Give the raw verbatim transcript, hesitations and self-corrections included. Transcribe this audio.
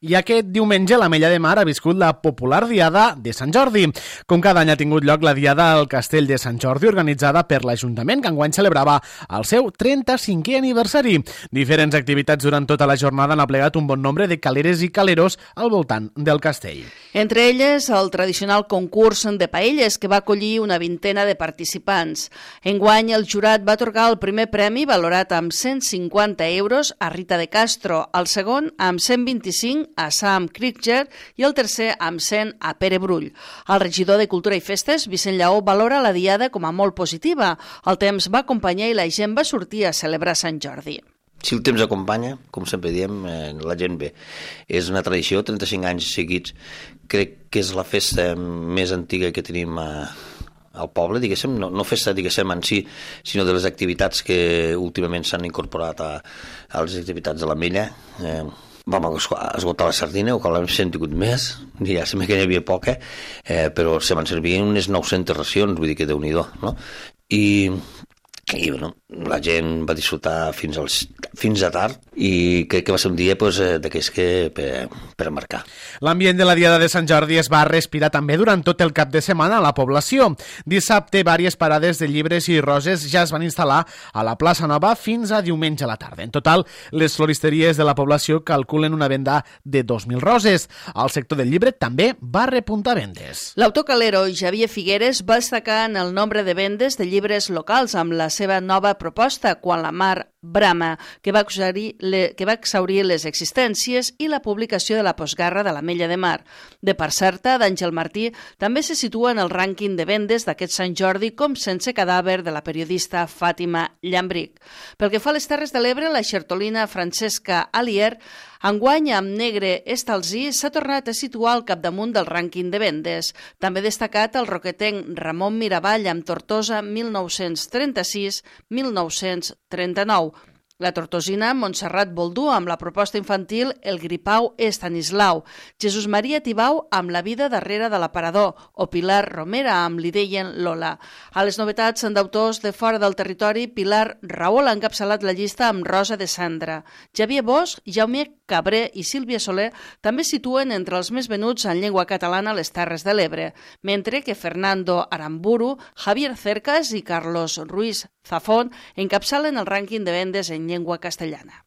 I aquest diumenge l'Ametlla de Mar ha viscut la popular Diada de Sant Jordi. Com cada any ha tingut lloc la Diada al Castell de Sant Jordi, organitzada per l'Ajuntament, que enguany celebrava el seu trenta-cinquè aniversari. Diferents activitats durant tota la jornada han aplegat un bon nombre de caleres i caleros al voltant del castell. Entre elles, el tradicional concurs de paelles, que va acollir una vintena de participants. Enguany, el jurat va atorgar el primer premi, valorat amb cent cinquanta euros, a Rita de Castro, el segon amb cent vint-i-cinc a Sam Krieger i el tercer amb cent a Pere Brull. El regidor de Cultura i Festes, Vicent Lleó, valora la diada com a molt positiva. El temps va acompanyar i la gent va sortir a celebrar Sant Jordi. Si el temps acompanya, com sempre diem, eh, la gent ve. És una tradició, trenta-cinc anys seguits. Crec que és la festa més antiga que tenim a, al poble, diguéssim, no, no festa, diguéssim, en si, sinó de les activitats que últimament s'han incorporat a, a les activitats de l'Ametlla. Eh, vam esgotar la sardina, o que l'hem sentit més, ja sembla que n'hi havia poca, eh, però se van servir unes nou-centes racions, vull dir que Déu-n'hi-do, no? I... i bueno, la gent va disfrutar fins, als, fins a tard i crec que va ser un dia pues, d'aquells que per, per marcar. L'ambient de la Diada de Sant Jordi es va respirar també durant tot el cap de setmana a la població. Dissabte, vàries parades de llibres i roses ja es van instal·lar a la plaça Nova fins a diumenge a la tarda. En total, les floristeries de la població calculen una venda de dos mil roses. El sector del llibre també va repuntar vendes. L'autor calero Xavier Figueres va destacar en el nombre de vendes de llibres locals amb la seva nova proposta, Quan la mar brama, que va exaurir, le, que va exaurir les existències, i la publicació de la postguerra de l'Ametlla de Mar. De part certa, d'Àngel Martí també se situa en el rànquing de vendes d'aquest Sant Jordi com Sense cadàver, de la periodista Fàtima Llambric. Pel que fa a les Terres de l'Ebre, la xertolina Francesca Alier, enguany amb Negre Estalzí, s'ha tornat a situar al capdamunt del rànquing de vendes. També destacat el roquetenc Ramon Miravall amb Tortosa mil nou-cents trenta-sis a mil nou-cents trenta-nou. La tortosina Montserrat Boldú amb la proposta infantil El gripau Estanislau, Jesús Maria Tibau amb La vida darrere de l'aparador o Pilar Romera amb Li deien Lola. A les novetats d'autors de fora del territori, Pilar Raül ha encapçalat la llista amb Rosa de Sandra. Xavier Bosch, Jaume Cabré i Sílvia Soler també situen entre els més venuts en llengua catalana a les Terres de l'Ebre, mentre que Fernando Aramburu, Javier Cercas i Carlos Ruiz Zafón encapçalen el rànquing de vendes en llengua castellana.